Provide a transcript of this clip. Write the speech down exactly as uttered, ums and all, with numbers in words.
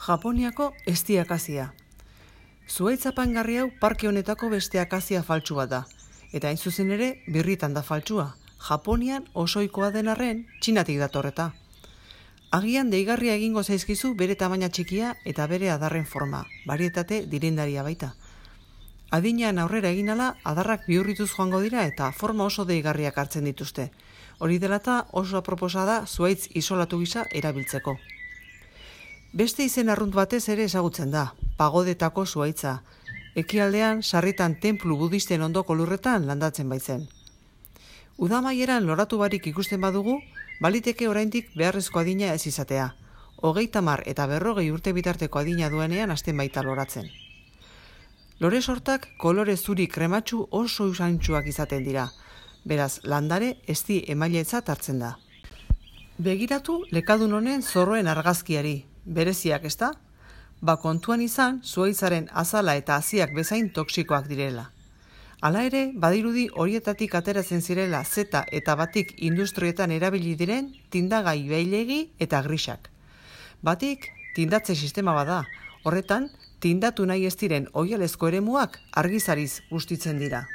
Japoniako ezti akazia. Zuhaitz apaingarri hau parke honetako beste akazia faltsu bat da, eta hain zuzen ere birritan da faltsua. Japonian osoikoa den arren, Txinatik datorreta. Agian deigarria egingo zaizkizu bere tamaina txikia eta bere adarren forma, barietate direndaria baita. Adinean aurrera egin ala, adarrak bihurrituz joango dira eta forma oso deigarriak hartzen dituzte. Hori dela eta oso aproposa da zuhaitz isolatu gisa erabiltzeko. Beste izen arrunt batez ere ezagutzen da, pagodetako zuhaitza. Ekialdean sarritan tenplu budisten ondoko lurretan landatzen baitzen. Udamaieran loratu barik ikusten badugu, baliteke oraindik beharrezko adina ez izatea. Hogeita hamar eta berrogei urte bitarteko adina duenean hasten baita loratzen. Lore sortak kolore zuri krematsu oso usaintsuak izaten dira. Beraz, landare ezti emailetzat hartzen da. Begiratu lekadun honen zorroen argazkiari, bereziak ezta? Ba kontuan izan zuhaitzaren azala eta haziak bezain toksikoak direla. Hala ere, badirudi horietatik ateratzen zirela zeta eta batik industrietan erabili diren tindagai beilegi eta grisak. Batik, tindatze sistema bada, horretan, tindatu nahi ez diren oihalezko eremuak argizariz bustitzen dira.